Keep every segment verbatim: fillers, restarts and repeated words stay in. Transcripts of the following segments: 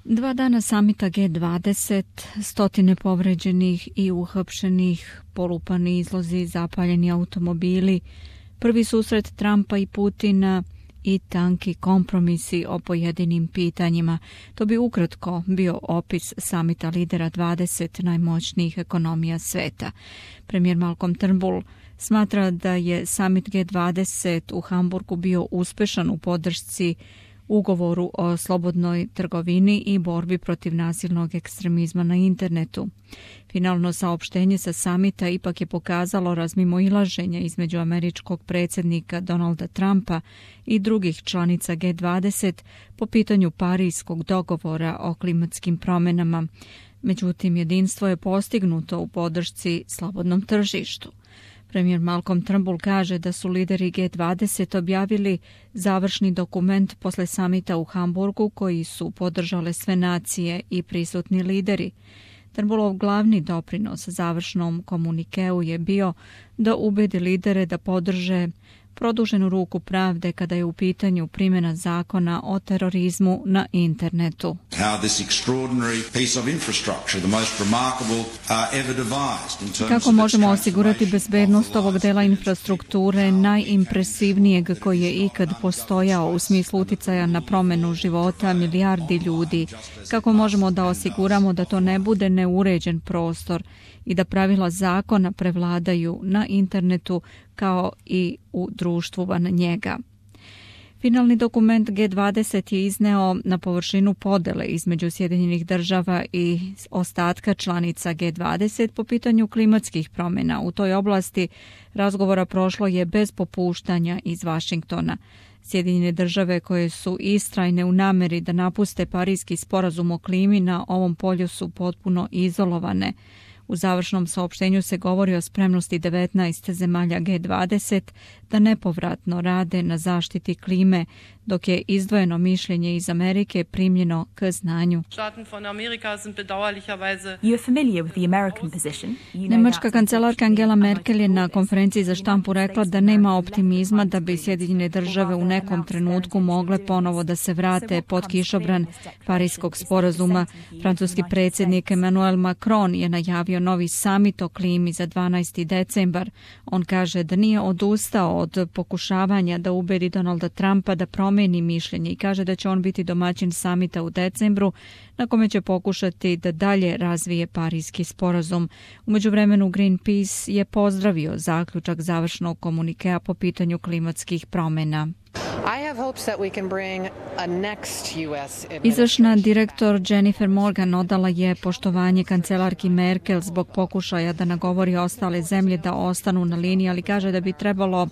Dva dana samita G dvadeset, stotine povređenih i uhapšenih, polupani izlozi, zapaljeni automobili, prvi susret Trumpa i Putina i tanki kompromisi o pojedinim pitanjima. To bi ukratko bio opis samita lidera dvadeset najmoćnijih ekonomija sveta. Premijer Malcolm Turnbull smatra da je samit G dvadeset u Hamburgu bio uspešan u podršci ugovoru o slobodnoj trgovini i borbi protiv nasilnog ekstremizma na internetu. Finalno saopštenje sa samita ipak je pokazalo razmimoilaženje između američkog predsjednika Donalda Trumpa i drugih članica G dvadeset po pitanju Parijskog dogovora o klimatskim promjenama. Međutim, jedinstvo je postignuto u podršci slobodnom tržištu. Premijer Malcolm Turnbull kaže da su lideri G dvadeset objavili završni dokument posle samita u Hamburgu koji su podržale sve nacije i prisutni lideri. Turnbullov glavni doprinos završnom komunikeu je bio da ubedi lidere da podrže produženu ruku pravde kada je u pitanju primjena zakona o terorizmu na internetu. Kako možemo osigurati bezbednost ovog dela infrastrukture najimpresivnijeg koji je ikad postojao u smislu uticaja na promjenu života milijardi ljudi? Kako možemo da osiguramo da to ne bude neuređen prostor i da pravila zakona prevladaju na internetu kao i u društvu van njega? Finalni dokument G dvadeset je izneo na površinu podele između Sjedinjenih država i ostatka članica G dvadeset po pitanju klimatskih promjena. U toj oblasti razgovora prošlo je bez popuštanja iz Vašingtona. Sjedinjene države koje su istrajne u nameri da napuste Parijski sporazum o klimi na ovom polju su potpuno izolovane. U završnom saopštenju se govori o spremnosti devetnaest zemalja G dvadeset da nepovratno rade na zaštiti klime, dok je izdvojeno mišljenje iz Amerike primljeno k znanju. Nemačka kancelarka Angela Merkel je na konferenciji za štampu rekla da nema optimizma da bi Sjedinjene države u nekom trenutku mogle ponovo da se vrate pod kišobran Parijskog sporazuma. Francuski predsjednik Emmanuel Macron je najavio novi samit o klimi za dvanaesti decembar. On kaže da nije odustao od pokušavanja da ubedi Donalda Trumpa da promijeni mišljenje i kaže da će on biti domaćin samita u decembru na kome će pokušati da dalje razvije Parijski sporazum. U međuvremenu Greenpeace je pozdravio zaključak završnog komunikea po pitanju klimatskih promjena. Izvršna direktor Jennifer Morgan odala je poštovanje kancelarki Merkel zbog pokušaja da nagovori ostale zemlje da ostanu na liniji, ali kaže da bi trebalo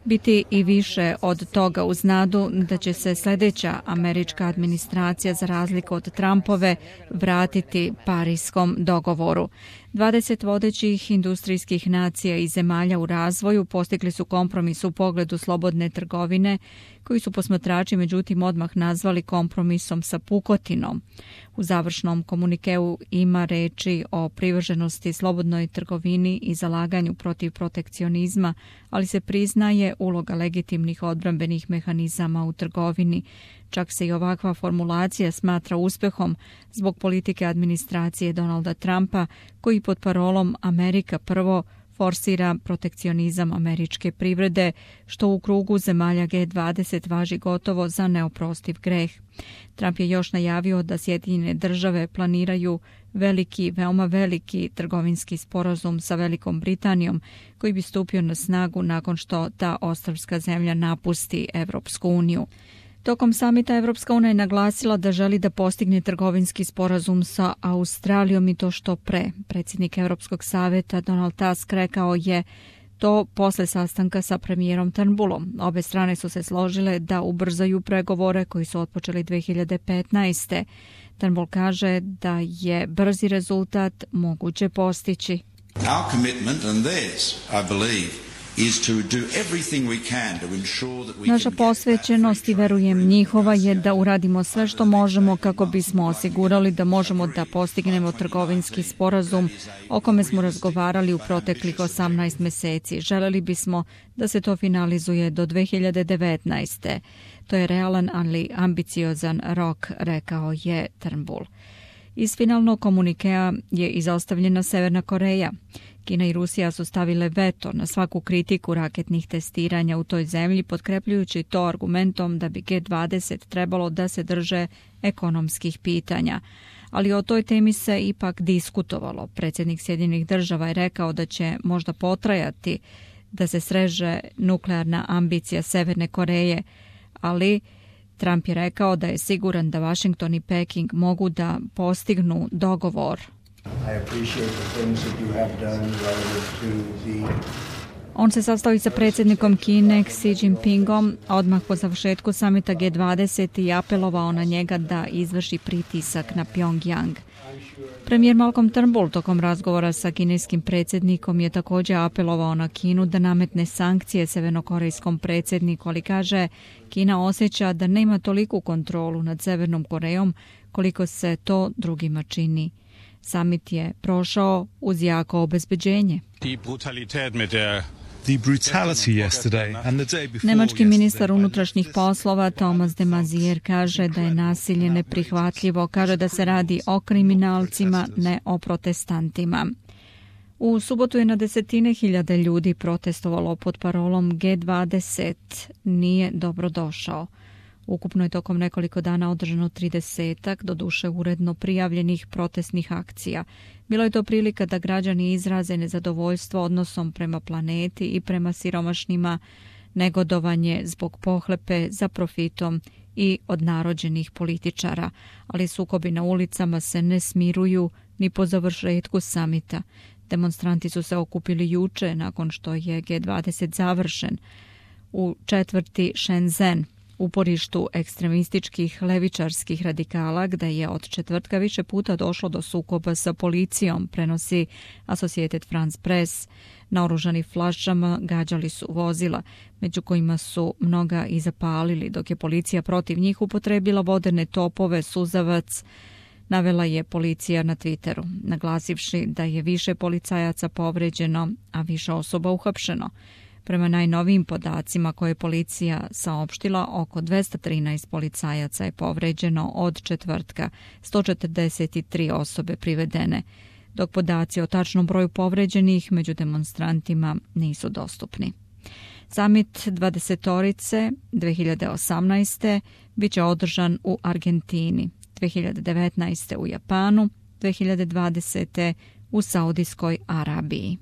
biti i više od toga uz nadu da će se sljedeća američka administracija za razliku od Trumpove vratiti Parijskom dogovoru. dvadeset vodećih industrijskih nacija i zemalja u razvoju postigli su kompromis u pogledu slobodne trgovine, koji su posmatrači međutim odmah nazvali kompromisom sa pukotinom. U završnom komunikeu ima reči o privrženosti slobodnoj trgovini i zalaganju protiv protekcionizma, ali se priznaje uloga legitimnih odbrambenih mehanizama u trgovini. Čak se i ovakva formulacija smatra uspehom zbog politike administracije Donalda Trumpa, koji pod parolom Amerika prvo forsira protekcionizam američke privrede, što u krugu zemalja G dvadeset važi gotovo za neoprostiv greh. Trump je još najavio da Sjedinjene države planiraju veliki, veoma veliki trgovinski sporazum sa Velikom Britanijom, koji bi stupio na snagu nakon što ta ostrvska zemlja napusti Evropsku uniju. Tokom samita Evropska unija je naglasila da želi da postigne trgovinski sporazum sa Australijom i to što pre. Predsjednik Europskog savjeta Donald Tusk rekao je to posle sastanka sa premijerom Turnbullom. Obe strane su se složile da ubrzaju pregovore koji su otpočeli dve hiljade petnaeste. Turnbull kaže da je brzi rezultat moguće postići. Our commitment and theirs, I believe, Naša posvećenost i verujem njihova je da uradimo sve što možemo kako bismo osigurali da možemo da postignemo trgovinski sporazum o kome smo razgovarali u proteklih osamnaest meseci. Želeli bismo da se to finalizuje do dve hiljade devetnaeste. To je realan, ali ambiciozan rok, rekao je Turnbull. Iz finalnog komunikea je izostavljena Severna Koreja. Kina i Rusija su stavile veto na svaku kritiku raketnih testiranja u toj zemlji, potkrepljujući to argumentom da bi G dvadeset trebalo da se drže ekonomskih pitanja. Ali o toj temi se ipak diskutovalo. Predsjednik Sjedinjenih država je rekao da će možda potrajati da se sreže nuklearna ambicija Severne Koreje, ali Trump je rekao da je siguran da Washington i Peking mogu da postignu dogovor. On se sastao sa predsjednikom Kine Xi Jinpingom odmah po završetku samita G dvadeset i apelovao na njega da izvrši pritisak na Pyongyang. Premijer Malcolm Turnbull tokom razgovora sa kineskim predsjednikom je također apelovao na Kinu da nametne sankcije severnokorejskom predsjedniku, ali kaže Kina osjeća da nema toliku kontrolu nad Severnom Korejom koliko se to drugima čini. Samit je prošao uz jako obezbeđenje. Nemački ministar unutrašnjih poslova Thomas de Maizière kaže da je nasilje neprihvatljivo, kaže da se radi o kriminalcima, ne o protestantima. U subotu je na desetine hiljade ljudi protestovalo pod parolom G dvadeset nije dobrodošao. Ukupno je tokom nekoliko dana održano tridesetak, doduše uredno prijavljenih protestnih akcija. Bilo je to prilika da građani izraze nezadovoljstvo odnosom prema planeti i prema siromašnima, negodovanje zbog pohlepe za profitom i odnarođenih političara. Ali sukobi na ulicama se ne smiruju ni po završetku samita. Demonstranti su se okupili juče nakon što je G dvadeset završen u četvrti Shenzhen, uporištu ekstremističkih levičarskih radikala, gde je od četvrtka više puta došlo do sukoba sa policijom, prenosi Associated France Press. Naoružani flašama gađali su vozila, među kojima su mnoga i zapalili, dok je policija protiv njih upotrebila vodene topove, suzavac, navela je policija na Twitteru, naglasivši da je više policajaca povređeno, a više osoba uhapšeno. Prema najnovijim podacima koje je policija saopštila, oko dvesta trinaest policajaca je povređeno od četvrtka, sto četrdeset tri osobe privedene, dok podaci o tačnom broju povređenih među demonstrantima nisu dostupni. Samit dvadesetorice dve hiljade osamnaeste bit će održan u Argentini, dve hiljade devetnaeste u Japanu, dve hiljade dvadesete u Saudijskoj Arabiji.